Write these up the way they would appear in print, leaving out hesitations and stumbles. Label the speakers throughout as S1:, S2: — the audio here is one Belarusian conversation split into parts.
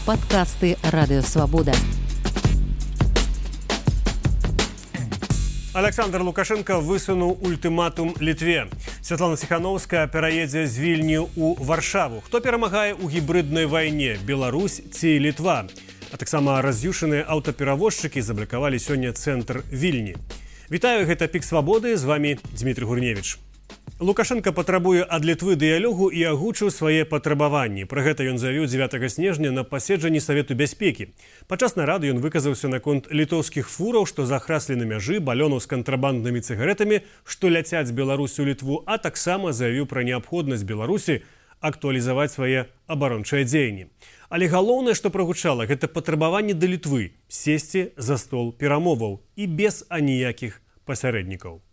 S1: Падкасты Радыёвабода.
S2: Александр Лукашенко высунуў ультыматум Літве. Святлана Ціхановская пераедзе з Вільні ў Варшаву. Хто перамагае ў гібрыднай вайне? Беларусь ці Літва? А таксама раз'юшаныя аўтаперавозчыкі заблакавалі сёння цэнтр Вільні. Вітаю, гэта Пік Свабоды, з вамі Дмітрий Гурневіч. Лукашенко патрабуе ад Літвы дыялогу і агучыў свае патрабаванні. Пра гэта ён заявіў 9 снежня на паседжанні Савету бяспекі. Падчас нарады ён выказаўся наконт літоўскіх фураў, што захраслі на мяжы, балёнаў з кантрабанднымі цыгаретамі, што ляцяць з Беларусі ў Літву, а таксама заявіў пра неабходнасць Беларусі актуалізаваць свае абарончыя дзеянні. Але галоўнае, што прагучала, гэта патрабаванне да Літвы сесці за стол перамоваў і без аніякіх пасярэднікаў.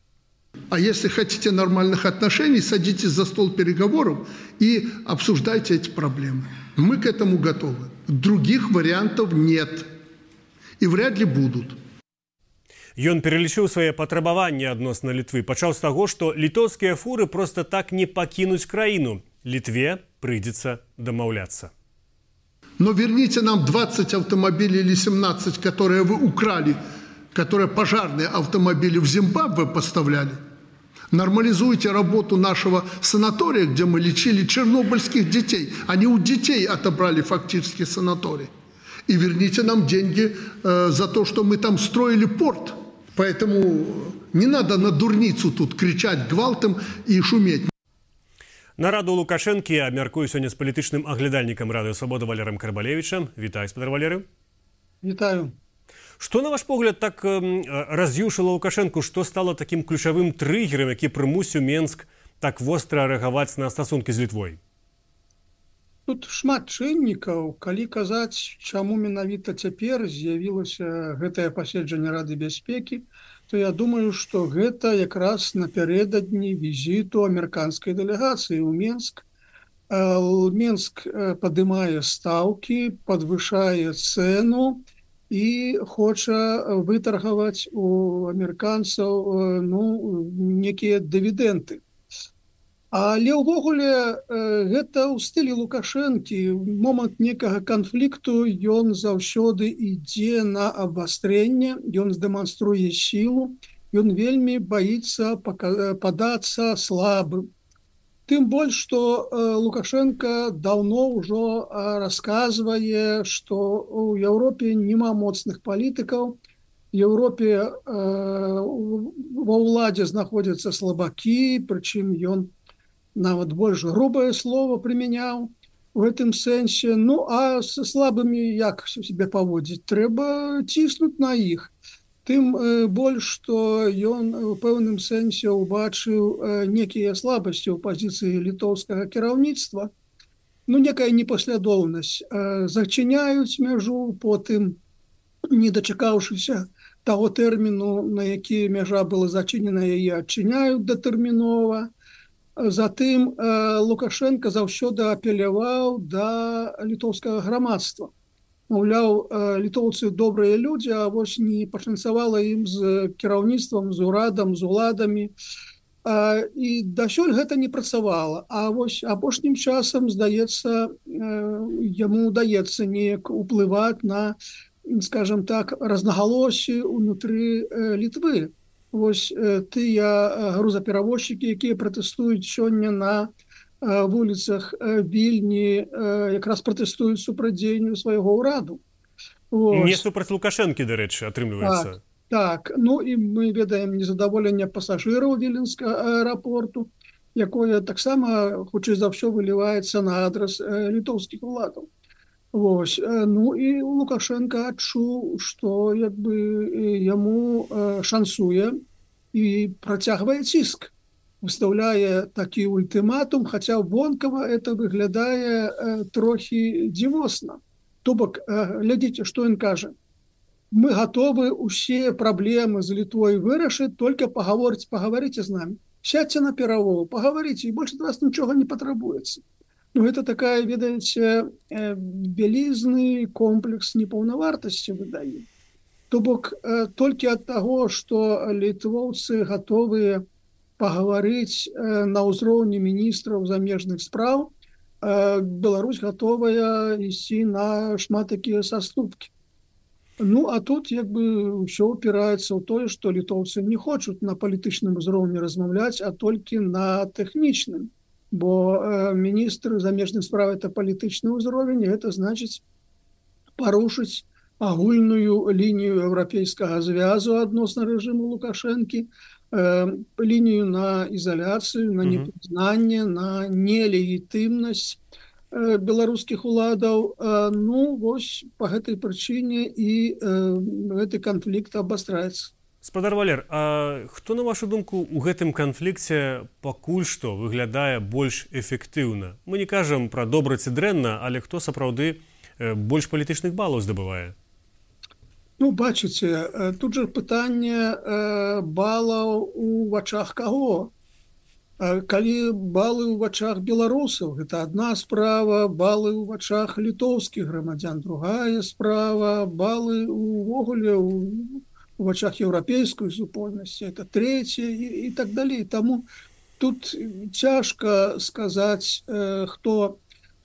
S3: А если хотите нормальных отношений, садитесь за стол переговоров и обсуждайте эти проблемы. Мы к этому готовы. Других вариантов нет. И вряд ли будут.
S2: Ён пералічыў свае патрабаванні адносна Літвы. Пачаў з таго, што літоўскія фуры проста так не пакінуць краіну. Літве прыйдзецца дамаўляцца.
S3: Но верните нам 20 автомобилей или 17, которые вы украли, которые пожарные автомобили в Зимбабве поставляли. Нормализуйте работу нашего санатория, где мы лечили чернобыльских детей. Они у детей отобрали фактически санаторий. И верните нам деньги за то, что мы там строили порт. Поэтому не надо на дурницу тут кричать гвалтом и шуметь.
S2: Нараду Лукашэнкі абмяркую сёння з палітычным аглядальнікам Радыёвабоды Валерыем Карбалевічам. Вітаю, спадар Валерый.
S4: Вітаю.
S2: Што, на ваш погляд, так раз'юшыла Лукашэнку, што стала такім ключавым трыгерам, які прымусіў Менск так востра рэагаваць на стасункі з Літвой?
S4: Тут шмат чыннікаў. Калі казаць, чаму менавіта цяпер з'явілася гэтае паседжанне Рады бяспекі, то я думаю, што гэта якраз напярэдадні візіту амерыканскай дэлегацыі ў Менск. Менск падымае стаўкі, падвышае цэну і хоча вытаргаваць у амерыканцаў некія дывідэнды. Але ўвогуле гэта ў стылі Лукашэнкі. Момант некага канфлікту ён заўсёды ідзе на абвастрэнне, ён дэманструе сілу, ён вельмі баіцца падацца слабым. Тым больш, што Лукашенко даўно ўжо расказвае, што ў Еўропе няма моцных палітыкаў, в Еўропе ва ўладзе знаходзяцца слабакі, прычым ён нават больш грубае слово прымяняў у гэтым сэнсе. Ну, а са слабымі як себе паводзіць? Трэба ціснуць на іх. Тым больш, што ён у пэўным сэнсе ўбачыў некія слабасці ў пазіцыі літоўскага кіраўніцтва. Некая непаслядоўнасць. Зачыняюць мяжу, потым, не дачакаўшыся таго тэрміну, на які мяжа была зачынена, яе адчыняюць датэрмінова. Затым Лукашенко заўсёды апеляваў да літоўскага грамадства. Маўляў, літоўцы добрыя людзі, а вось не пашанцавала ім з кіраўніцтвам, з урадам, з уладамі. І дасюль гэта не працавала. А вось апошнім часам, здаецца, яму ўдаецца неяк уплываць на, скажем так, рознагалоссі ўнутры Літвы. Вось тыя грузаперавозчыкі, якія пратэстуюць сёння на вуліцах Вільні, якраз пратэстуюць супраць дзеянню свайго ўраду.
S2: Не супраць Лукашэнкі, дарэчы, атрымліваецца.
S4: Так. І мы ведаем незадаволенне пасажыраў віленскага аэрапорту, якое таксама, хутчэй за ўсё, выліваецца на адрас літоўскіх уладаў. І Лукашенко адчуў, што яму шансуе і працягвае ціск. Выстаўляе такі ультыматум, хаця вонкава это выглядае трохі дзівосна. То бок, глядзіце, што ён кажа. Мы гатовы ўсе праблемы з Літвой вырашыць, толькі пагаворыце з намі. Сядьце на перамовы, пагаворыце, і больш ад вас нічога не патрабуецца. Гэта такая, ведаеце, вялізны комплекс непаўнавартасці выдае. То бок, толькі ад таго, што літвоўцы гатовыя пагаварыць на ўзроўні міністраў замежных спраў, Беларусь готовая ісці на шмат такія саступкі. Ну, а тут як бы ўсё упіраецца ў тое, што літоўцы не хочуць на палітычным узроўні размаўляць, а толькі на тэхнічным. Бо міністр замежных справ – это палітычны ўзровень, і гэта значыць парушыць агульную лінію еўрапейскага звязу адносна рэжыму Лукашэнкі, лінію на ізаляцыю, на непрызнанне, на нелегітымнасць беларускіх уладаў. Ну, вось па гэтай прычыне і гэты канфлікт абастраецца.
S2: Спадар Валер, а хто, на вашу думку, у гэтым канфлікце пакуль што выглядае больш эфектыўна? Мы не кажам пра добра ці дрэнна, але хто сапраўды больш палітычных балаў здабывае?
S4: Ну, бачыце, тут жа пытанне балаў у вачах каго? Калі балы ў вачах беларусаў, гэта адна справа, балы ў вачах літоўскіх грамадзян, другая справа, балы увогуле у вачах еўрапейскай супольнасці, это трэцяе і так далей. Таму тут цяжка сказаць, хто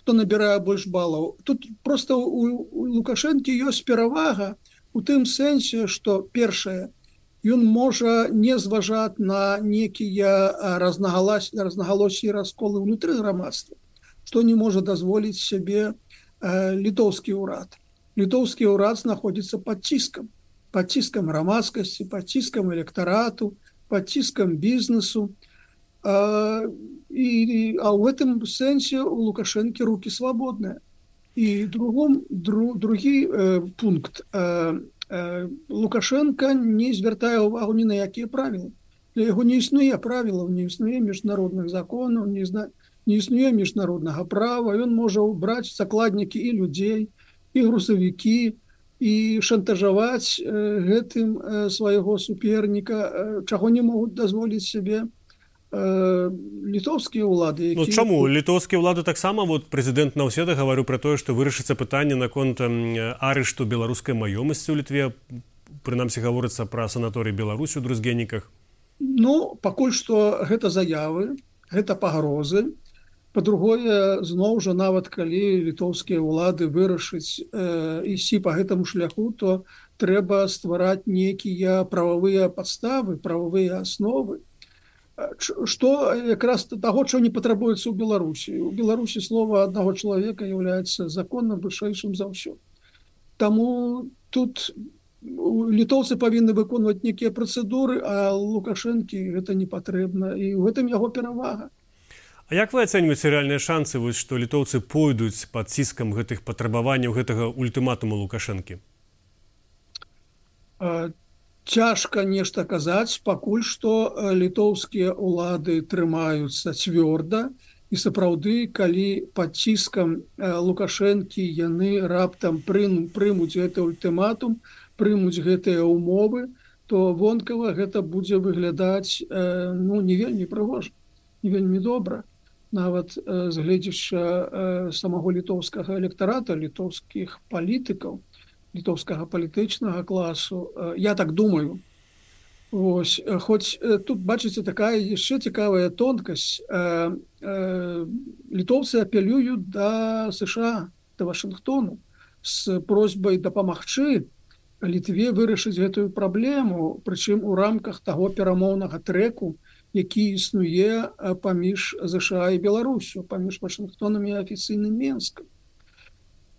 S4: набірае больш балаў. Тут проста у Лукашэнкі ёсць перавага у тым сэнсе, што першае, ён можа не зважаць на некія рознагалоссі і расколы ўнутры грамадства, што не можа дазволіць сябе літоўскі ўрад. Літоўскі ўрад знаходзіцца пад ціскам грамадскасці, пад ціскам электарату, пад ціскам бізнесу. А ў гэтым сэнсе у Лукашэнкі рукі свабодныя. І другі пункт. Лукашенко не звяртае ўвагу ні на якія правілы. Для яго не існуе правілаў, не існуе міжнародных законаў, не існуе міжнароднага права. Ён можа браць закладнікі і людзей, і грузавікі, і шантажаваць гэтым свайго суперніка, чаго не могуць дазволіць сябе літоўскія ўлады.
S2: Ну, чаму? Літоўскія ўлады таксама, вот прэзідэнт Наўседа гаварыў пра тое, што вырашыцца пытанне наконт арышту беларускай маёмасці ў Літве. Прынамсі гаворыцца пра санаторый Беларусі ў Друзгеніках.
S4: Ну, пакуль што гэта заявы, гэта пагрозы. Па-другое, зноў жа, нават калі літоўскія ўлады вырашыць ісці па гэтаму шляху, то трэба ствараць нейкія прававыя падставы, прававыя асновы, што якраз таго, чого не патрабуецца ў Беларусі. У Беларусі слова аднаго чалавека з'яўляецца законна вышэйшым за ўсё. Таму тут літоўцы павінны выконваць некія працэдуры, а Лукашэнкі гэта не патрэбна, і ў гэтым яго перавага.
S2: А як вы ацэньваеце рэальныя шансы, што літоўцы пойдуць пад ціскам гэтых патрабаванняў, гэтага ультыматуму Лукашэнкі?
S4: Цяжка нешта казаць, пакуль што літоўскія ўлады трымаюцца цвёрда, і сапраўды, калі пад ціскам Лукашэнкі яны раптам прымуць гэты ультыматум, прымуць гэтыя ўмовы, то вонкава гэта будзе выглядаць не вельмі прыгожа, не вельмі добра. Нават з гледзяча самого літоўскага электарата, літоўскіх палітыкаў, літоўскага палітычнага класу, я так думаю. Ось, хоць тут, бачыце, такая яшчэ цікавая тонкасць. Літоўцы апелююць да США, да Вашынгтону з просьбай дапамагчы Літве вырашыць гэтую праблему, прычым у рамках таго перамоўнага трэку, які існуе паміж США і Беларусю, паміж Вашынгтонам і афіцыйным Менскам.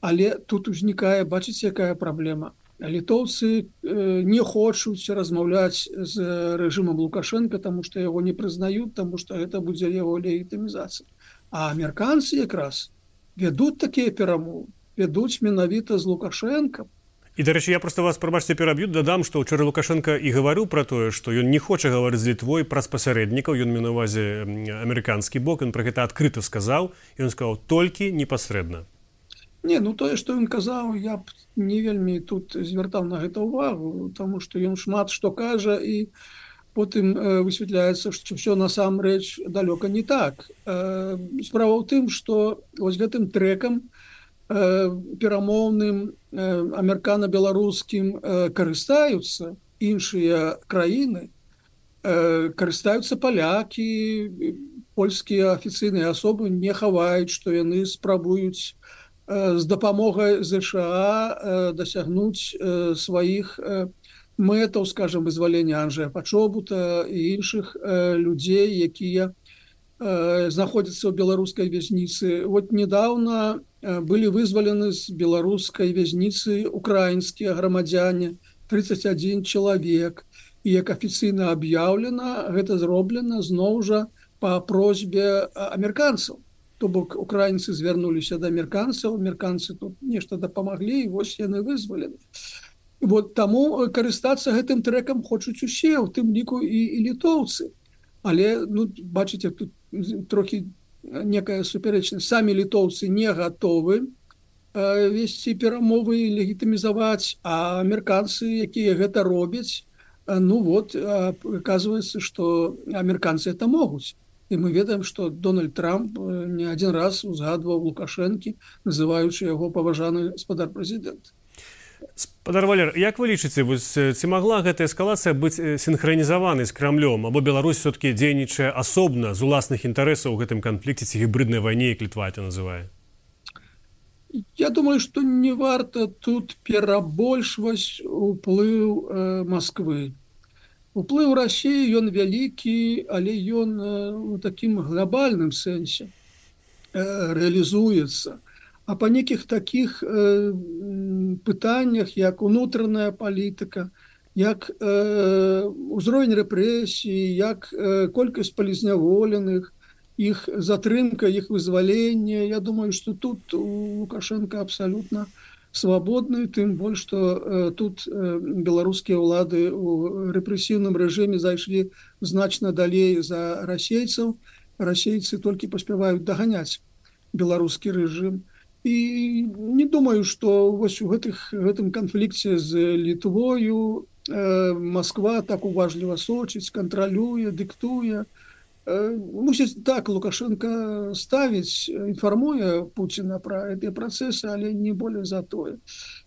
S4: Але тут узнікае, бачыце, якая праблема. Літоўцы не хочуць размаўляць з рэжымам Лукашэнка, таму што яго не прызнаюць, таму што гэта будзе яго легітымізацыя. А амерыканцы якраз вядуць такія перамовы, вядуць менавіта з Лукашэнкам.
S2: І, дарэчы, я проста вас, прабачце, пераб'ю, дадам, што ўчора Лукашэнка і гаварыў пра тое, што ён не хоча гаварыць з Літвой праз пасярэднікаў, ён меў на ўвазе амерыканскі бок, ён пра гэта адкрыта сказаў, і ён сказаў толькі непасрэдна.
S4: Не, ну тое, што ён казаў, я б не вельмі тут звяртаў на гэта ўвагу, таму што ён шмат што кажа, і потым высвятляецца, што ўсё насамрэч далёка не так. Справа ў тым, што вось гэтым трэкам перамоўным амерыкана-беларускім карыстаюцца іншыя краіны, карыстаюцца палякі, польскія афіцыйныя асобы не хаваюць, што яны спрабуюць з дапамогай ЗША дасягнуць сваіх мэтаў, скажем, вызвалення Анджэя Пачобута і іншых людзей, якія знаходзяцца ў беларускай вязніцы. Вот недавно былі вызвалены з беларускай вязніцы украінскія грамадзяне, 31 чалавек. І як афіцыйна аб'яўлена, гэта зроблена зноў жа па просьбе амерыканцаў. То бок украінцы звярнуліся да амерыканцаў, амерыканцы тут нешта дапамаглі, і вось яны вызвалены. Вот таму карыстацца гэтым трэкам хочуць усе, у тым ліку і літоўцы. Але, ну, бачыце, тут трохі некая супярэчнасць. Самі літоўцы не гатовы весці перамовы і легітымізаваць, а амерыканцы, якія гэта робяць, ну вот, оказывается, што амерыканцы это могуць. І мы ведаем, што Дональд Трамп не адзін раз узгадваў Лукашэнкі, называючы яго паважаны гаспадар прэзідэнт.
S2: Спадар Валер, як вы лічыце, ці магла гэтая эскалацыя быць сінхранізаванай з Крамлём, або Беларусь все-таки дзейнічае асобна з уласных інтарэсаў у гэтым канфлікце ці гібриднай вайне, як Літва это называе?
S4: Я думаю, што не варта тут перабольшваць уплыў Масквы. Уплыў Расіі, ён вялікі, але ён у такім глобальным сэнсе рэалізуецца. А па нейкіх такіх пытаннях, як унутраная палітыка, як узровень рэпрэсій, як колькасць палізняволеных, іх затрымка, іх вызвалення, я думаю, што тут у Лукашенка абсалютна свабодны, тым больш, што тут беларускія ўлады ў рэпрэсіўным рэжыме зайшлі значна далей за расейцаў. Расейцы толькі паспяваюць даганяць беларускі рэжым. І не думаю, што вось у гэтым канфлікце з Літвою Масква так уважліва сочыць, кантралюе, дыктуе. Мусіць так, Лукашенко ставіць, інфармуе Пуціна пра гэтыя працэсы, але не болей за тое.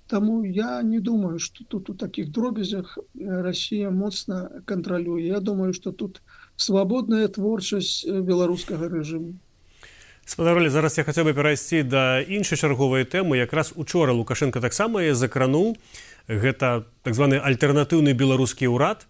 S4: Таму я не думаю, што тут у такіх дробязях Расія моцна кантралюе. Я думаю, што тут свабодная творчасць беларускага рэжыму.
S2: Спадар Валер, зараз я хацеў бы перайсці да іншай чарговай тэмы. Якраз учора Лукашенко таксама закрануў. Гэта так званы альтэрнатыўны беларускі ўрад.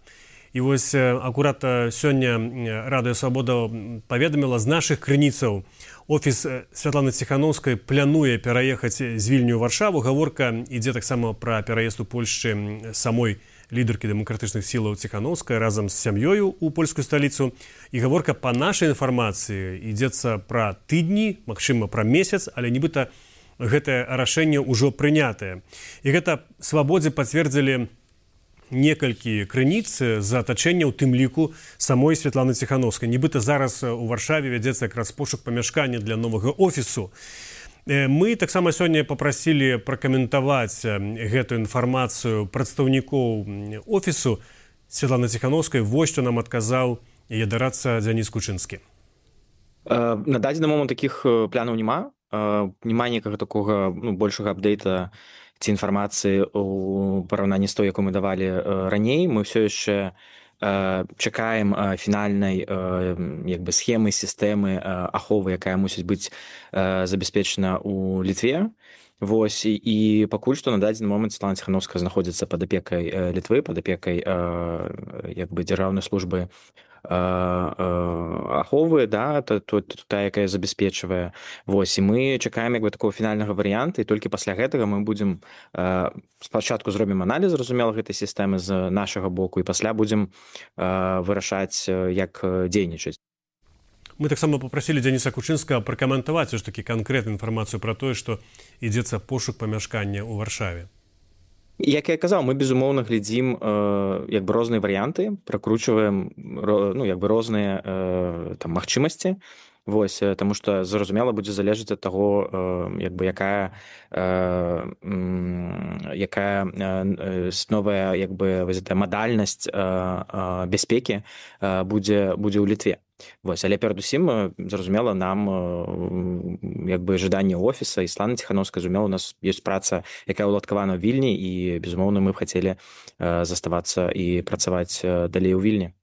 S2: І вось акурат сёння Радыё Свабода паведаміла з нашых крыніцаў. Офіс Святланы Ціханаўскай плануе пераехаць з Вільню ў Варшаву. Гаворка ідзе таксама пра пераезд у Польшчы самой лідаркі дэмакратычных сілаў Ціханаўскай разам з сям'ёю ў польскую сталіцу. І гаворка па нашай інфармацыі ідзецца пра тыдні, магчыма, пра месяц, але нібыта гэтае рашэнне ўжо прынятае. І гэта Свабодзе пацвердзілі некалькі крыніц з атачэння, у тым ліку самой Святланы Ціханаўскай. Нібыта зараз у Варшаве вядзецца якраз пошук памяшкання для новага офісу. Мы таксама сёння папрасілі пракаментаваць гэтую інфармацыю прадстаўнікоў офісу Святланы Ціханаўскай. Вось што нам адказаў яе дарадца Дзяніс Кучынскі.
S5: На дадзены момант такіх планаў няма. Няма некага такога большага апдейта ці інфармацыі ў параўнанні з той, якую мы давалі раней. Мы ўсё яшчэ чакаем фінальнай схемы, сістэмы аховы, якая мусіць быць забяспечана ў Літве. Вось, і пакуль што на дадзены момант Святлана Ціханаўская знаходзіцца пад апекай Літвы, пад апекай дзяржаўнай службы аховы, да, та, якая забяспечвае. Вось, і мы чакаем такого фінальнага варыянта, і толькі пасля гэтага мы будзем спачатку зробім аналіз, зразумела, гэтай сістэмы з нашага боку, і пасля будзем вырашаць, як дзейнічаць.
S2: Мы таксама папрасілі Дзяніса Кучынскага пракаментаваць ж такі канкрэтную інфармацыю пра тое, што ідзецца пошук памяшкання ў Варшаве.
S5: Як я казаў, мы, безумоўна, глядзім розныя варыянты, пракручваем розныя магчымасці. Вось, таму што, зразумела, будзе залежаць ад таго, якая новая мадальнасць бяспекі будзе ў Літве. Вось, але перадусім, зразумела, нам жаданне офіса і Святланы Ціханаўскай, зразумела, у нас ёсць праца, якая ўладкавана ў Вільні, і, безумоўна, мы б хацелі заставацца і працаваць далей у Вільні.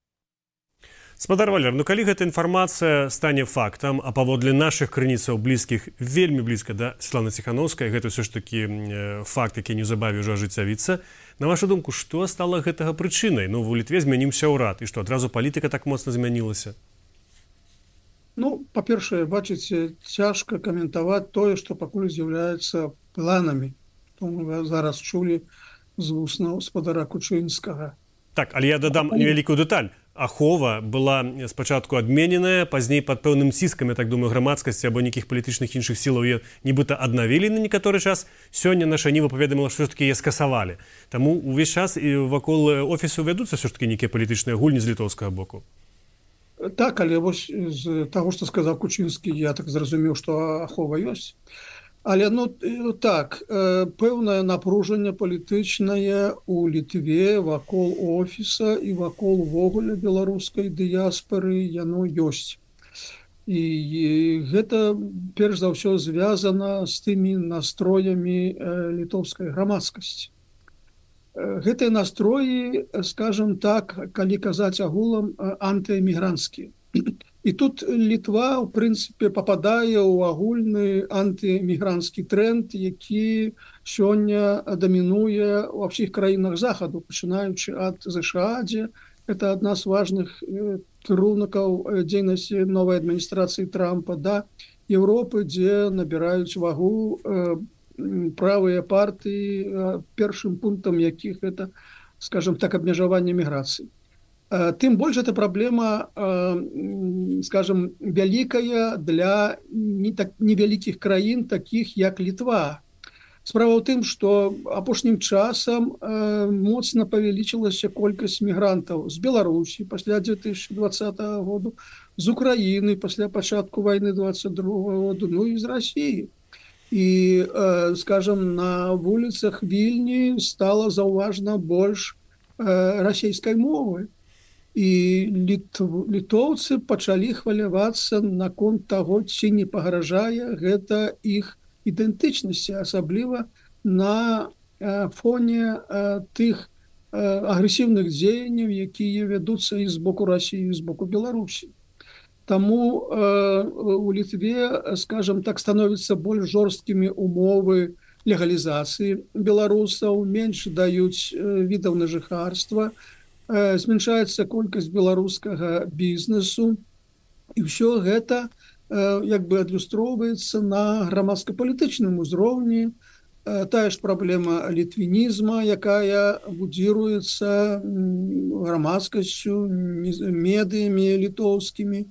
S2: Спадар Валер, ну калі гэта інфармацыя стане фактам, а паводле нашых крыніцаў блізкіх, вельмі блізка да Светланы Ціханаўскай, гэта ўсё ж такі факт, які неўзабаве ўжо ажыццявіцца. На вашу думку, што стала гэтага прычынай? Ну, у Літве змяніўся ўрад, і што, адразу палітыка так моцна змянілася?
S4: Ну, па-першае, бачыце, цяжка каментаваць тое, што пакуль з'яўляецца планамі. То мы зараз чулі з вуснаў спадара Кучынскага.
S2: Так, але я дадам невялікую дэталь. Ахова была спачатку адмененая, пазней пад пэўным ціскам, я так думаю, грамадскасці або нейкіх палітычных іншых сілаў яе нібыта аднавілі на некаторы час. Сёння наша Ніва паведаміла, што ж такі яе скасавалі. Таму ўвесь час і вакол офісу вядуцца ўсё ж такі нейкія палітычныя гульні з літоўскага боку.
S4: Так, але вось з таго, што сказаў Кучынскі, я так зразумеў, што ахова ёсць. Але ну так, пэўнае напружанне палітычнае ў Літве вакол офіса і вакол увогуле беларускай дыяспары яно ёсць. І гэта перш за ўсё звязана з тымі настроямі літоўскай грамадскасці. Гэтыя настроі, скажем так, калі казаць агулам, антыэмігранцкія. І тут Літва, ў прынцыпе, пападае ў агульны антыэмігранцкі тренд, які сёння дамінуе ва ўсіх краінах захаду, пачынаючы ад ЗША, дзе гэта адна з важных кірункаў дзейнасці новай адміністрацыі Трампа, да Еўропы, дзе набіраюць вагу правыя партыі, першым пунктам якіх гэта, скажем так, абмежаванне міграцыі. Тым больш эта праблема, скажем, вялікая для невялікіх краін, такіх як Літва. Справа ў тым, што апошнім часам моцна павялічылася колькасць мігрантаў з Беларусі пасля 2020 году, з Украіны пасля пачатку вайны 22 году, ну і з Расіі. І, скажем, на вуліцах Вільні стала заўважна больш расійскай мовы. І літоўцы пачалі хвалявацца наконт таго, ці не пагражае гэта іх ідэнтычнасці, асабліва на фоне тых агрэсіўных дзеянняў, якія вядуцца і з боку Расіі, і з боку Беларусі. Таму у Літве, скажем так, становяцца больш жорсткімі умовы легалізацыі беларусаў, менш даюць відаў на жыхарства, зменшаецца колькасць беларускага бізнесу, і ўсё гэта як бы адлюстроўваецца на грамадска-палітычным узроўні. Тая ж праблема літвінізма, якая будзіруецца грамадскасцю, медыямі літоўскімі.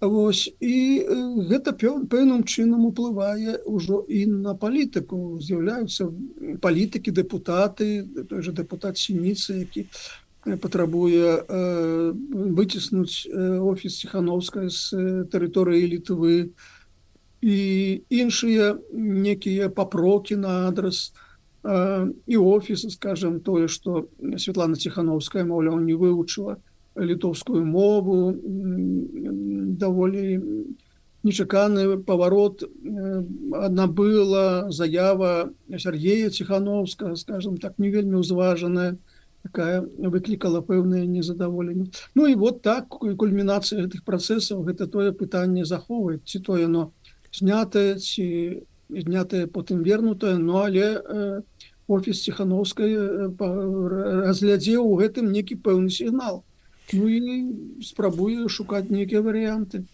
S4: Вось, і гэта пэўным чынам уплывае ўжо і на палітыку. З'яўляюцца палітыкі, дэпутаты, той же дэпутат Сініца, які патрабуе выціснуць офіс Ціханаўскай з тэрыторыі Літвы, і іншыя некія папрокі на адрас і офіса, скажем, тое, што Светлана Ціханаўская, маўляў, не вывучыла літоўскую мову, даволі нечаканы паварот набыла заява Сергея Ціханаўскага, скажем так, не вельмі ўзважаная, такая выклікала пэўнае незадаволенне. Ну і вот так, кульмінацыя гэтых працэсаў, гэта тое пытанне захоўваць, ці то яно знятае, ці знятае потым вернутае, ну але офіс Ціханаўскай разглядзеў у гэтым некі пэўны сігнал. Ну і спрабуе шукаць нейкія варыянты.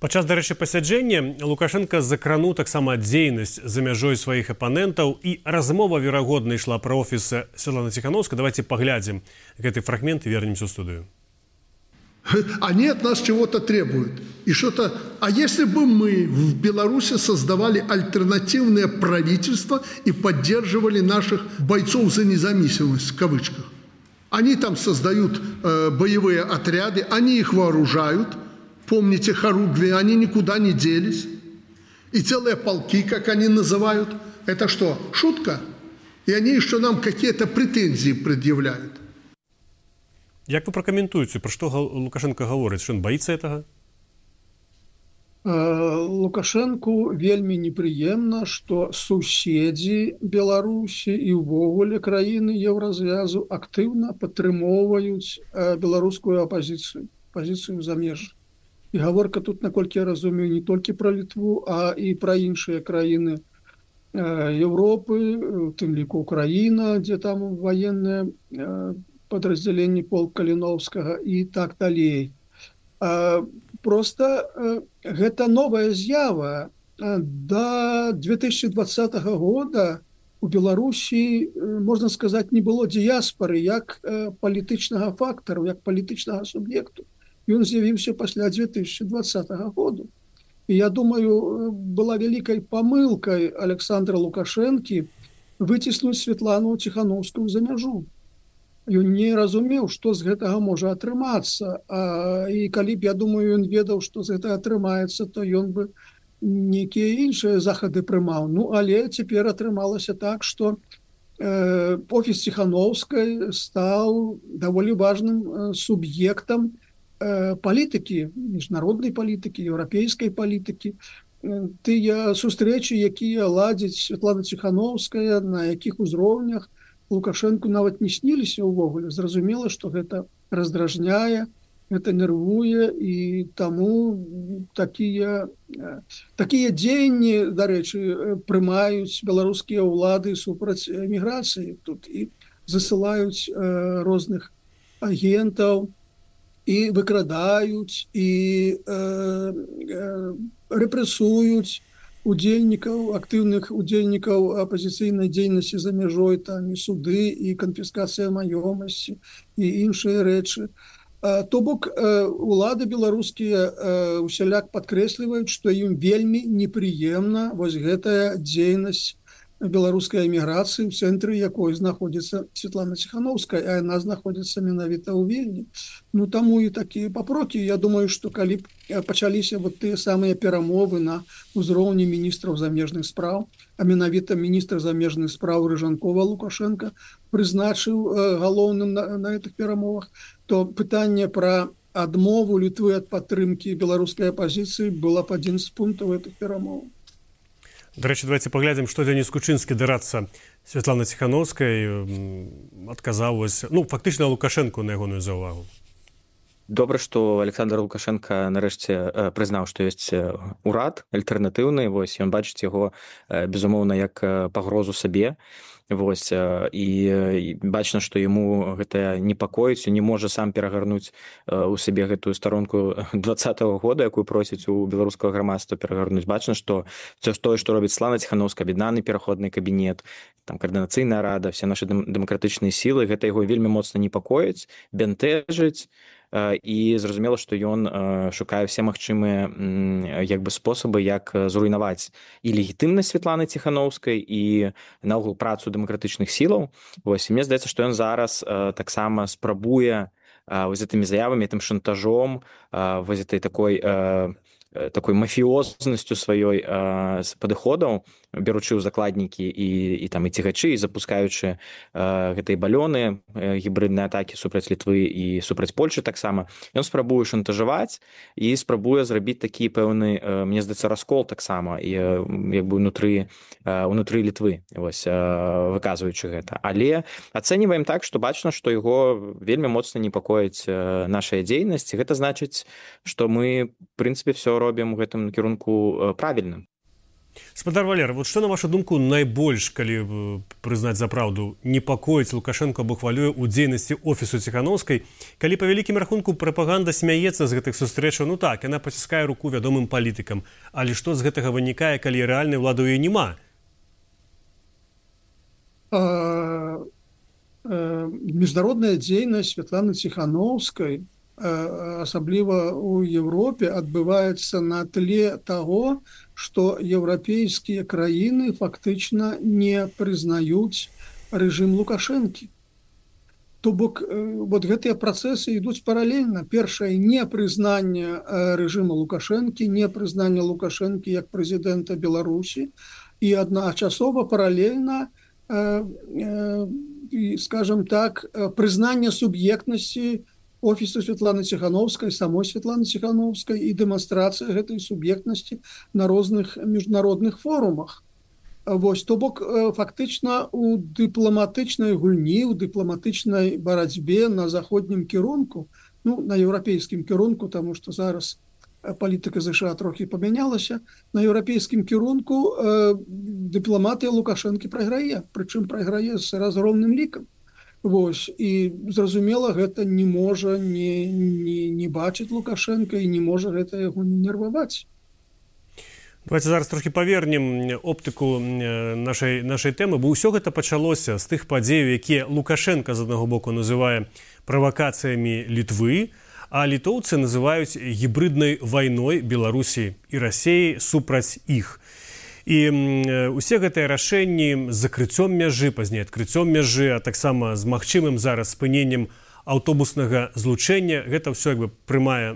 S2: Падчас, дарэчы, пасяджэння Лукашенко закрануў таксама дзейнасць за мяжой сваіх апанентаў, і размова, верагодна, ішла пра офіс Светланы Ціханаўскай. Давайте поглядим гэты фрагмент и вернемся в студию.
S3: Они от нас чего-то требуют. И что-то... А если бы мы в Беларуси создавали альтернативное правительство и поддерживали наших бойцов за независимость, в кавычках? Они там создают боевые отряды, они их вооружают. Помните хоругви, они никуда не делись. И целые полки, как они называют. Это что, шутка? И они еще нам какие-то претензии предъявляют.
S2: Як вы прокомментуете, про что Лукашенко говорит? Что он боится этого?
S4: Лукашенку вельмі непрыемна, што суседзі Беларусі і ўвогуле краіны Еўразвязу актыўна падтрымоўваюць беларускую апазіцыю. пазіцыю замежжа. І гаворка тут, наколькі я разумею, не толькі пра Літву, а і пра іншыя краіны Европы, у тым ліку Украіна, дзе там ваенныя падраздзяленні полк Каліноўскага і так далей. Просто гэта новая з'ява. До 2020 года у Беларусі, можна сказаць, не было дыяспары як палітычнага фактару, як палітычнага суб'екту. Ён з'явіўся пасля 2020 года. І я думаю, была вялікай памылкай Александра Лукашэнкі выціснуць Святлану Ціханаўскую за мяжу. Ён не разумеў, што з гэтага можа атрымацца. І калі б, я думаю, ён ведаў, што з гэтага атрымаецца, то ён бы нейкія іншыя захады прымаў. Ну, але цяпер атрымалася так, што офіс Ціханаўскай стаў даволі важным суб'ектам палітыкі, міжнароднай палітыкі, еўрапейскай палітыкі. Тыя сустрэчы, якія ладзіць Святлана Ціханаўская, на якіх узроўнях Лукашэнку нават не сніліся ўвогуле. Зразумела, што гэта раздражняе, гэта нервуе, і таму такія дзеянні, дарэчы, прымаюць беларускія ўлады супраць эміграцыі тут і засылаюць розных агентаў, і выкрадаюць, і рэпрэсуюць удзельнікаў, актыўных удзельнікаў апазіцыйнай дзейнасці за мяжой, там і суды, і канфіскацыя маёмасці, і іншыя рэчы. То бок, улады беларускія усяляк падкрэсліваюць, што ім вельмі непрыемна вось гэтая дзейнасць беларускай эміграцыі, у цэнтры якой знаходзіцца Святлана Ціханаўская, а яна знаходзіцца менавіта ў Вільні. Ну, таму і такія папрокі. Я думаю, што калі б пачаліся вот тыя самыя перамовы на ўзроўні міністраў замежных спраў, а менавіта міністр замежных спраў Рыжанкова Лукашенко прызначыў галоўным на гэтых перамовах, то пытанне пра адмову Літвы ад падтрымкі беларускай апазіцыі была б адзін з пунктаў гэтых перамоваў.
S2: Дарэчы, давайте паглядзім, што Дзяніс Кучынскі дарацца Святлана Ціханаўскай адказаў, ну, фактычна Лукашэнку на ягоную заўвагу.
S5: Добра, што Александр Лукашенко нарэшце прызнаў, што ёсць урад альтэрнатыўны. Вось ён бачыць яго, безумоўна, як пагрозу сабе. Вось, і бачна, што яму гэта непакоіць, не можа сам перагарнуць у сабе гэтую старонку 2020 года, якую просіць у беларускага грамадства перагарнуць. Бачна, што тое, што робіць Святлана Ціханаўская, аб'яднаны пераходны кабінет, там каардынацыйная рада, все нашы дэмакратычныя сілы, гэта яго вельмі моцна непакоіць, бянтэжыць. І зразумела, што ён шукае ўсе магчымыя як бы спосабы, як зруйнаваць і легітымнасць Святланы Ціханаўскай, і наогул працу дэмакратычных сілаў. Вось, і мне здаецца, што ён зараз таксама спрабуе вось гэтымі заявамі, тым шантажом, вось гэтай такой мафіознасцю сваёй падыходаў, беручы ў закладнікі і цігачы, і запускаючы гэтыя балёны, гібридныя атакі супраць Літвы і супраць Польшы таксама. Ён спрабуе шантажаваць і спрабуе зрабіць такі пэўны, мне здаецца, раскол таксама, і як бы унутры Літвы, вось, выказваючы гэта. Але ацэньваем так, што бачна, што яго вельмі моцна непакоіць нашая дзейнасць. Гэта значыць, што мы, в прынцыпе, все робім у гэтым кірунку правільна.
S2: Спадар Валера, вот што, на вашу думку, найбольш, калі прызнаць за праўду, непакоіць Лукашенко або хвалюе ў дзейнасці офісу Ціханаўскай, калі па вялікім рахунку прапаганда смяецца з гэтых сустрэчаў, ну так, яна паціскае руку вядомым палітыкам, але што з гэтага вынікае, калі рэальнай улады ў ёй няма?
S4: Міжнародная дзейнасць Святланы Ціханаўскай, асабліва ў Европе, адбываецца на тле таго, што еўрапейскія краіны фактычна не прызнаюць рэжым Лукашэнкі. То бок, вот гэтыя працэсы ідуць паралельна. Першае, непрызнанне рэжыма Лукашэнкі, непрызнанне Лукашэнкі як прэзідэнта Беларусі, і адначасова паралельна, скажем так, прызнанне суб'ектнасці офісу Святланы Ціханаўскай, самой Святланы Ціханаўскай, і дэманстрацыя гэтай суб'ектнасці на розных міжнародных форумах. Вось, то бок, фактычна у дыпламатычнай гульні, у дыпламатычнай барацьбе на заходнім кірунку на еўрапейскім кірунку, таму што зараз палітыка ЗША трохі памянялася. На еўрапейскім кірунку дыпламатыя Лукашэнкі прайграе, прычым прайграе з разгромным лікам. Вось, і зразумела, гэта не можа не бачыць Лукашенка і не можа гэта яго не нерваваць.
S2: Давайте зараз трохі павернем оптыку нашай тэмы, бо ўсё гэта пачалося з тых падзеяў, якія Лукашенка з аднаго боку называе правакацыямі Літвы, а літоўцы называюць гібриднай вайной Беларусі і Расіі супраць іх. І усе гэтыя рашэнні з закрыццём мяжы, пазней адкрыццём мяжы, а таксама з магчымым зараз спыненнем аўтобуснага злучэння, гэта ўсё як бы прымае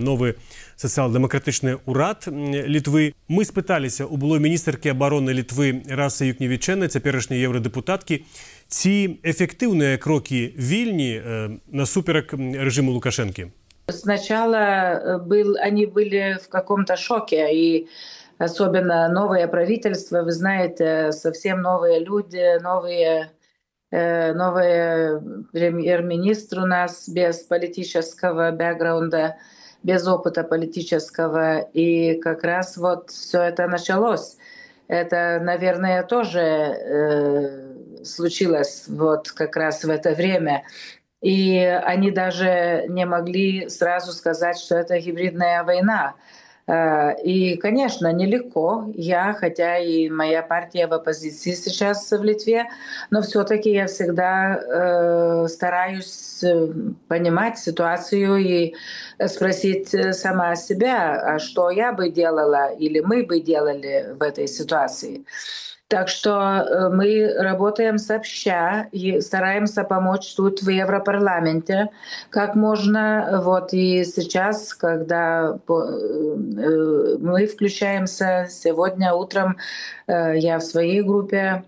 S2: новы сацыял-дэмакратычны ўрад Літвы. Мы спыталіся у былой міністэркі абароны Літвы Расы Юкневічэны, цяперашняй еўрадэпутаткі, ці эффективные кроки Вильни насуперок режиму Лукашенки?
S6: Сначала они были в каком-то шоке, и особенно новое правительство, вы знаете, совсем новые люди, новые премьер-министр у нас без политического бэкграунда, без опыта политического, и как раз вот все это началось. Это, наверное, тоже случилось вот как раз в это время. И они даже не могли сразу сказать, что это гибридная война. И, конечно, нелегко. Хотя и моя партия в оппозиции сейчас в Литве, но все-таки я всегда стараюсь понимать ситуацию и спросить сама себя, а что я бы делала или мы бы делали в этой ситуации. Так что мы работаем сообща и стараемся помочь тут в Европарламенте как можно. Вот и сейчас, когда мы включаемся, сегодня утром я в своей группе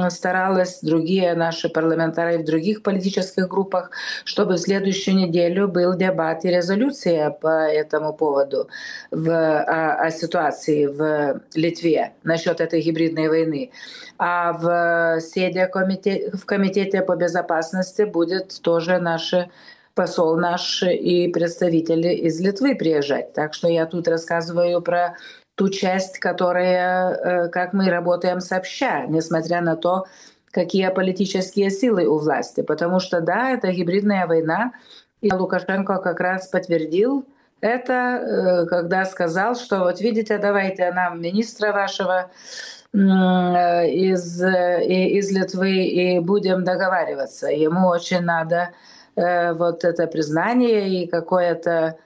S6: старалась, другие наши парламентарии в других политических группах, чтобы в следующую неделю был дебат и резолюция по этому поводу о ситуации в Литве насчет этой гибридной войны. А в комитете по безопасности будет тоже посол наш и представители из Литвы приезжать. Так что я тут рассказываю про ту часть, как мы работаем сообща, несмотря на то, какие политические силы у власти. Потому что, да, это гибридная война, и Лукашенко как раз подтвердил это, когда сказал, что вот видите, давайте нам министра вашего из Литвы и будем договариваться. Ему очень надо вот это признание и какое-то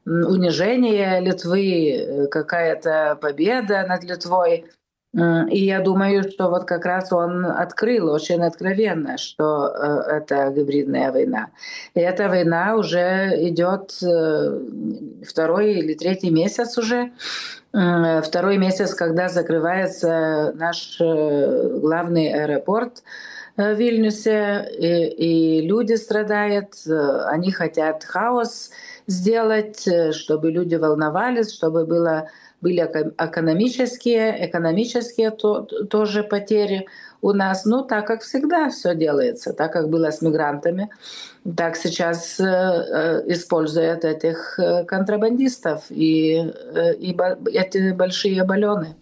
S6: унижение Литвы, какая-то победа над Литвой. И я думаю, что вот как раз он открыл очень откровенно, что это гибридная война. И эта война уже идет второй или третий месяц уже. Второй месяц, когда закрывается наш главный аэропорт в Вильнюсе, и люди страдают, они хотят хаос сделать, чтобы люди волновались, чтобы были экономические тоже потери у нас. Ну, так как всегда все делается, так как было с мигрантами, так сейчас используют этих контрабандистов и эти большие баллоны.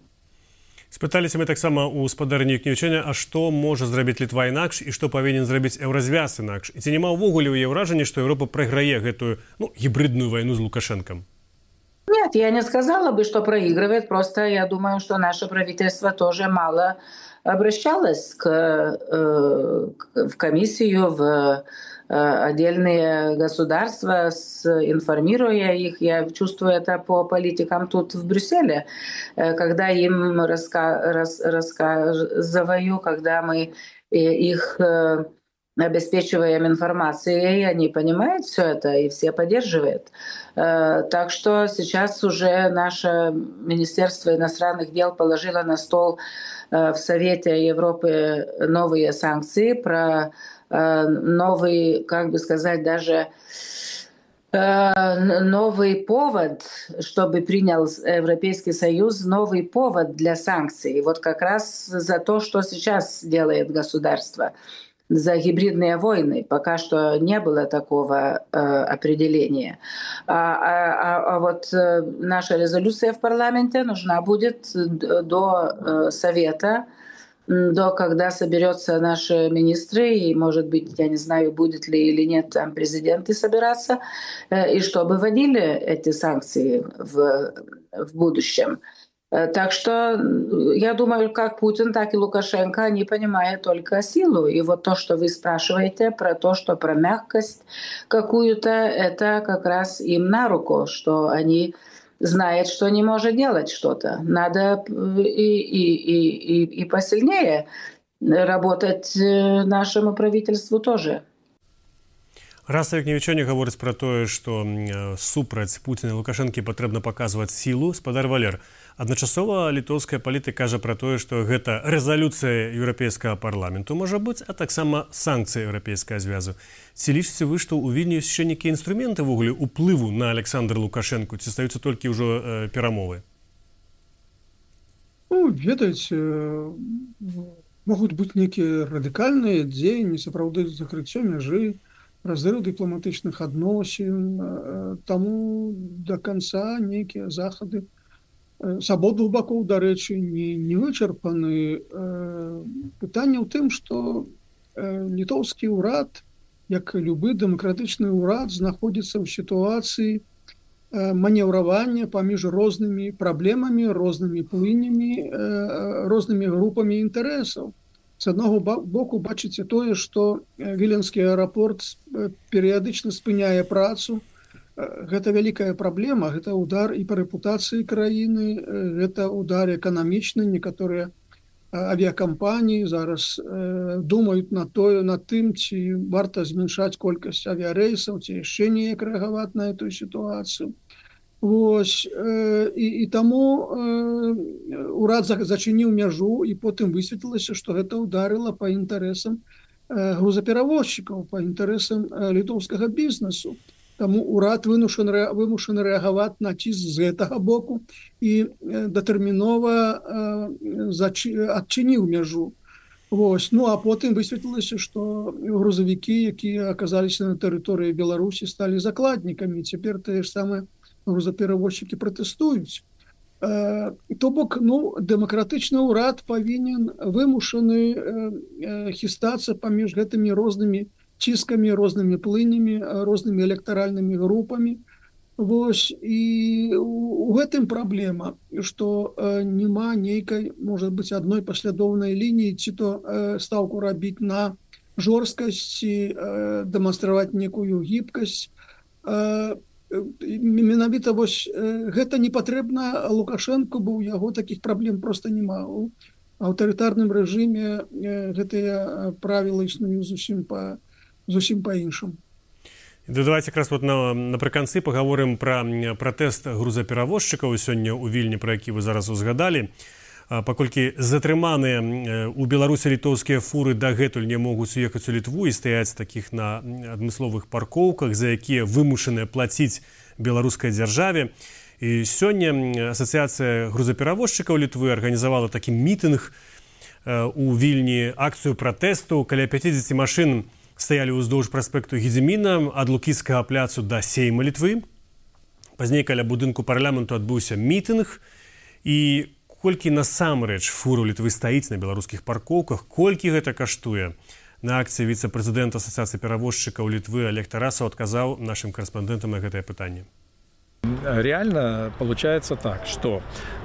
S2: Спыталіся мы таксама ў спадарні Юкневічэня, а што можа зрабіць Літва інакш і што павінен зрабіць еўразвяз інакш. І ці няма ўвогуле ў яе ўражанне, што Еўропа прайграе гэтую гібридную войну з Лукашенком?
S6: Нет, я не сказала бы, что проигрывает. Просто я думаю, что наше правительство тоже мало обращалось в комиссию, в отдельные государства, информируя их. Я чувствую это по политикам тут в Брюсселе, когда им рассказываю, когда мы их обеспечиваем информацией, они понимают все это и все поддерживают. Так что сейчас уже наше Министерство иностранных дел положило на стол в Совете Европы новые санкции, про новый, как бы сказать, даже новый повод, чтобы принял Европейский Союз, новый повод для санкций. Вот как раз за то, что сейчас делает государство. за гибридные войны. Пока что не было такого определения. А вот наша резолюция в парламенте нужна будет до Совета, до когда соберется наши министры, и, может быть, я не знаю, будет ли или нет там президенты собираться, и чтобы вводили эти санкции в будущем. Так что я думаю, как Путин, так и Лукашенко, они понимают только силу. И вот то, что вы спрашиваете про то, что про мягкость какую-то, это как раз им на руку, что они знают, что не может делать что-то. Надо и посильнее работать нашему правительству тоже.
S2: Раса, як нічого не гаворыць пра тое, што супраць Пуціна і Лукашэнкі патрэбна паказваць сілу, спадар Валер. Адначасова літоўская палітыка кажа пра тое, што гэта рэзалюцыя еўрапейскага парламенту можа быць, а таксама санкцыі еўрапейскага звязу. Ці лічыце вы, што ў Вільні ёсць яшчэ нейкія інструменты ввогуле ўплыву на Александра Лукашэнку, ці стаюцца толькі ўжо перамовы?
S4: Ну, ведаеце, могуць быць нейкія радыкальныя дзеянні, сапраўды закрыццё мяжы, разрыв дыпламатычных адносін, таму до конца нейкія захады з абодвух бакоў, дарэчы, не вычарпаны. Пытанне ў тым, што літоўскі ўрад, як любы дэмакратычны ўрад, знаходзіцца ў сітуацыі манеўравання паміж рознымі праблемамі, рознымі плынямі, рознымі групамі інтарэсаў. З аднаго боку бачыце тое, што Віленскі аэрапорт перыядычна спыняе працу. Гэта вялікая праблема, гэта удар і па рэпутацыі краіны, гэта удар эканамічны. Некаторыя авіякампаніі зараз думаюць над тым, ці варта змяншаць колькасць авіярэйсаў, ці яшчэ неяк рэагаваць на эту сітуацыю. Вось, і таму урад зачыніў мяжу, і потым высветлілася, што гэта ударыла па інтарэсам грузаперавозчыкаў, па інтарэсам літоўскага бізнесу. Таму урад вымушаны рэагаваць на ціск з гэтага боку і датэрмінова адчыніў мяжу. Вось. Ну, а потым высветлілася, што грузавікі, якія аказаліся на тэрыторыі Беларусі, сталі закладнікамі. Цяпер тыя ж самыя грузаперавозчыкі пратэстуюць. То бок, дэмакратычны ўрад павінен вымушаны хістацца паміж гэтымі рознымі ціскамі, рознымі плынямі, рознымі электаральнымі групамі. Вось, і у гэтым праблема, што няма нейкай, можа быць, адной паслядоўнай лініі, ці то стаўку рабіць на жорсткасці, дэманстраваць некую гібкасць. Менавіта вось гэта не патрэбна Лукашэнку, бо ў яго такіх праблем проста няма. У аўтарытарным рэжыме гэтыя правілы існуюць зусім па-іншаму.
S2: Давайте якраз вот напрыканцы пагаворым пра пратэст грузаперавозчыкаў сёння ў Вільні, пра які вы зараз узгадалі. Паколькі затрыманыя ў Беларусі літоўскія фуры дагэтуль не могуць уехаць у Літву і стаяць такіх на адмысловых паркоўках, за якія вымушаныя плаціць беларускай дзяржаве. І сёння Асацыяцыя грузаперавозчыкаў Літвы арганізавала такі мітынг у Вільні, акцыю пратэсту. Каля 50 машын стаялі ўздоўж праспекту Гедзіміна ад Лукійскага пляцу да Сейма Літвы. Пазней каля будынку парламенту адбыўся мітынг, і колькі насамрэч фуру Літвы стаіць на беларускіх паркоўках, колькі гэта каштуе. На акцыі віцэ-прэзідэнт Асацыяцыі перавозчыкаў Літвы Олег Тарасаў адказаў нашым карэспандэнтам на гэтае пытанне.
S7: Реально получается так, что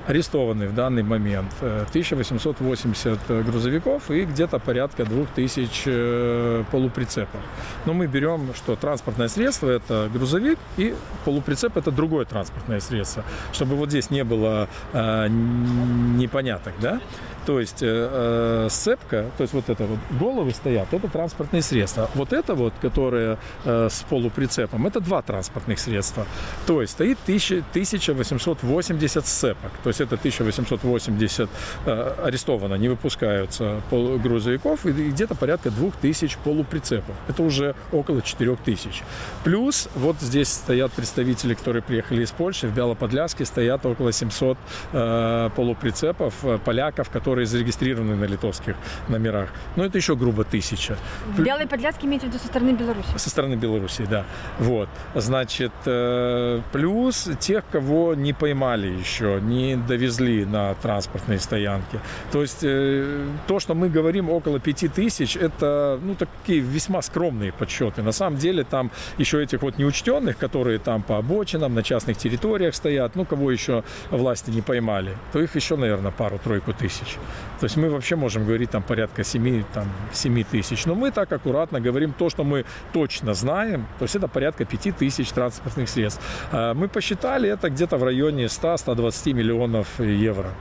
S7: арестованы в данный момент 1880 грузовиков и где-то порядка 2000 полуприцепов. Но мы берем, что транспортное средство – это грузовик, и полуприцеп – это другое транспортное средство, чтобы вот здесь не было непоняток, да? То есть сцепка, то есть вот это вот головы стоят, это транспортные средства. Вот это вот, которое с полуприцепом, это два транспортных средства. То есть стоит 1880 сцепок. То есть это 1880 арестовано, не выпускаются грузовиков, и где-то порядка 2000 полуприцепов. Это уже около 4000. Плюс вот здесь стоят представители, которые приехали из Польши, в Бялоподляске стоят около 700 полуприцепов поляков, которые зарегистрированы на литовских номерах. Но это еще грубо 1000.
S8: В Белой Подляске имеете в виду со стороны Беларуси?
S7: Со стороны Беларуси, да. Вот. Значит, плюс тех, кого не поймали еще, не довезли на транспортные стоянки. То есть то, что мы говорим около 5000, это такие весьма скромные подсчеты. На самом деле там еще этих вот неучтенных, которые там по обочинам, на частных территориях стоят, кого еще власти не поймали, то их еще, наверное, пару-тройку тысяч. То есть мы вообще можем говорить там порядка 7 тысяч. Но мы так аккуратно говорим то, что мы точно знаем. То есть это порядка 5000 транспортных средств. Мы посчитали, это где-то в районе 100-120 миллионов евро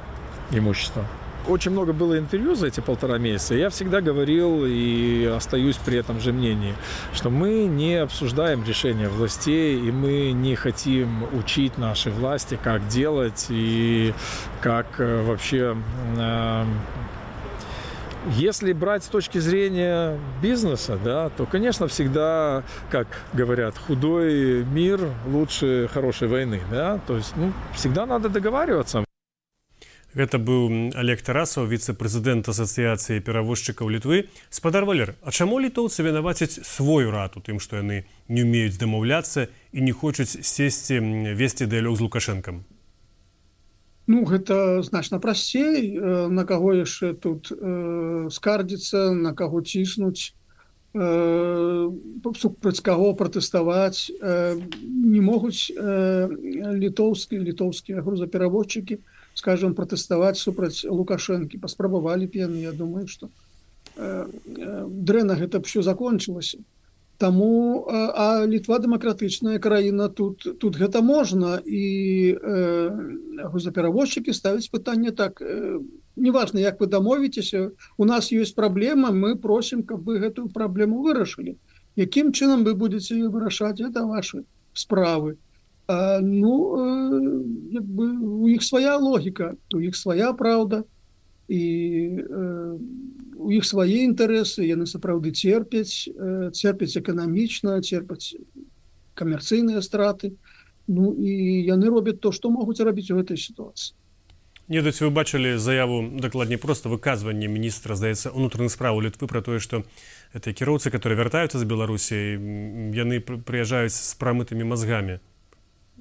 S7: имущества. Очень много было интервью за эти 1,5 месяца. Я всегда говорил и остаюсь при этом же мнении, что мы не обсуждаем решения властей, и мы не хотим учить наши власти, как делать и как вообще... Если брать с точки зрения бизнеса, да, то, конечно, всегда, как говорят, худой мир лучше хорошей войны. Да? То есть всегда надо договариваться.
S2: Гэта быў Олег Тарасаў, віцэ-прэзідэнт Асацыяцыі перавозчыкаў Літвы. Спадар Валер, а чаму літоўцы вінавацяць свой урад у тым, што яны не ўмеюць дамаўляцца і не хочуць сесці весці дыялог з Лукашэнкам?
S4: Гэта значна прасцей. На каго яшчэ тут скардзіцца, на каго ціснуць, супраць каго пратэставаць. Не могуць літоўскія грузаперавозчыкі, скажем, пратэставаць супраць Лукашэнкі. Паспрабавалі б яны, я думаю, што дрэнна гэта б ўсё закончылася. Таму, а Літва дэмакратычная краіна, тут гэта можна, і грузаперавозчыкі ставяць пытанне так, неважна, як вы дамовіцеся, у нас ёсць праблема, мы просім, каб вы гэтую праблему вырашылі. Якім чынам вы будзеце її вырашаць, гэта вашы справы. У іх свая логіка, у іх свая праўда, і у іх свае інтарэсы, яны сапраўды церпяць эканамічна, церпяць камерцыйныя страты, і яны робяць то, што могуць рабіць у гэтай сітуацыі.
S2: Вы бачылі заяву, дакладней проста выказванне міністра, здаецца, унутраных спраў Літвы пра тое, што гэтыя кіроўцы, которые вяртаюцца з Беларусі, яны прыязджаюць з прамытымі мазгамі.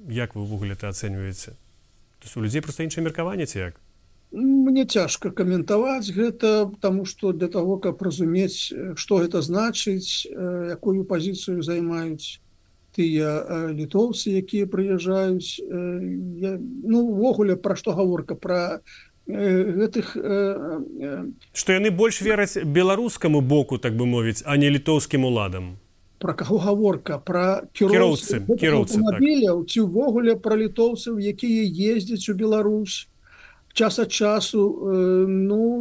S2: Як вы ўвогуле это ацэньваеце? То есть у людзей проста іншае меркаванне ці як?
S4: Мне цяжка каментаваць гэта, таму што для таго, каб разумець, што гэта значыць, якую пазіцыю займаюць тыя літоўцы, якія прыязджаюць. Увогуле, пра што гаворка? Пра гэтых...
S2: Што яны больш вераць беларускаму боку, так бы мовіць, а не літоўскім уладам.
S4: Пра каго гаворка? Пра кіроўцаў аўтамабіляў ці ўвогуле пра літоўцаў, якія ездзяць у Беларусь час ад часу.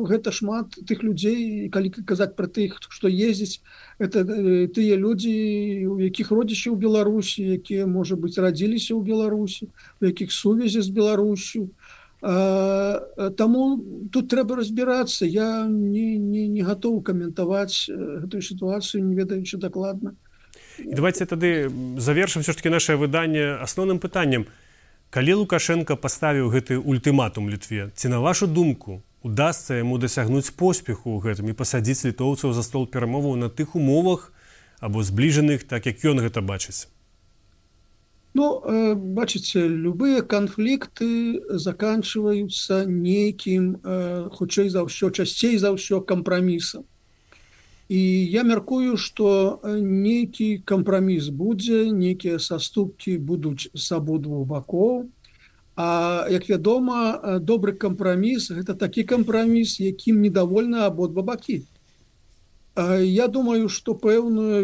S4: Гэта шмат тых людзей, калі казаць пра тых, што ездзяць, это тыя людзі, у якіх родзічы ў Беларусі, якія, можа быць, радзіліся ў Беларусі, у якіх сувязі з Беларусю. Таму тут трэба разбірацца. Я не гатовы каментаваць гэтую сітуацыю, не ведаючы дакладна.
S2: І давайте тады завершым все ж таки наше выданне асноўным пытаннем. Калі Лукашенко паставіў гэты ультыматум Літве, ці на вашу думку удасца яму дасягнуць поспеху ў гэтым і пасадзіць літоўцаў за стол перамоваў на тых умовах або збліжаных, так як ён гэта бачыць?
S4: Бачыце, любыя канфлікты заканчваюцца нейкім, хутчэй за ўсё, часцей за ўсё кампрамісам. І я мяркую, што нейкі кампраміс будзе, нейкія саступкі будуць з абодвух бакоў. А, як вядома, добры кампраміс – гэта такі кампраміс, якім недовольны абодва бакі. Я думаю, што пэўныя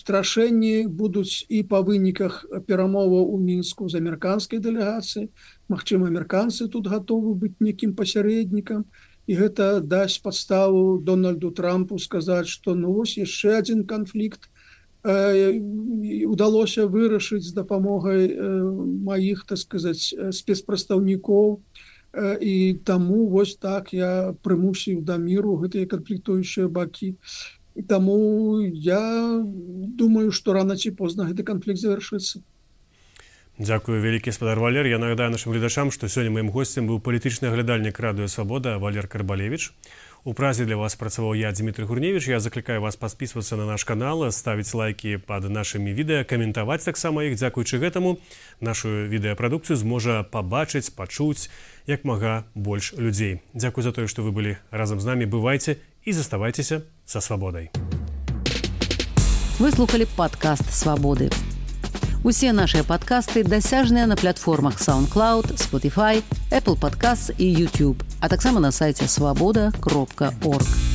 S4: рашэнні будуць і па выніках перамоваў у Мінску з амерыканскай дэлегацыяй. Магчыма, амерыканцы тут гатовы быць некім пасярэднікам, і гэта дасць падставу Дональду Трампу сказаць, што вось яшчэ адзін канфлікт удалося вырашыць з дапамогай маіх, так сказаць, спецпрадстаўнікоў, і таму вось так я прымусіў да міру гэтыя канфліктуючыя бакі. Таму я думаю, што рана ці позна гэты канфлікт завяршыцца.
S2: Дзякую, вялікі спадар Валер. Я нагадаю нашым гледачам, што сёння маім госцем быў палітычны аглядальнік радыё «Свабода» Валер Карбалевіч. У празе для вас працаваў я, Дмітрий Гурневіч. Я заклікаю вас падпісвацца на наш канал, ставіць лайкі пад нашымі відэа, каментаваць таксама іх. Дзякуючы гэтаму нашу відэапрадукцыю зможа пабачыць, пачуць як мага больш людзей. Дзякуй за тое, што вы былі разам з намі. Бывайце і заставайцеся са свабодай.
S1: Вы слухали падкаст «Свабоды». Усе нашыя падкасты дасяжныя на платформах SoundCloud, Spotify, Apple Podcasts і YouTube, а таксама на сайце swaboda.org.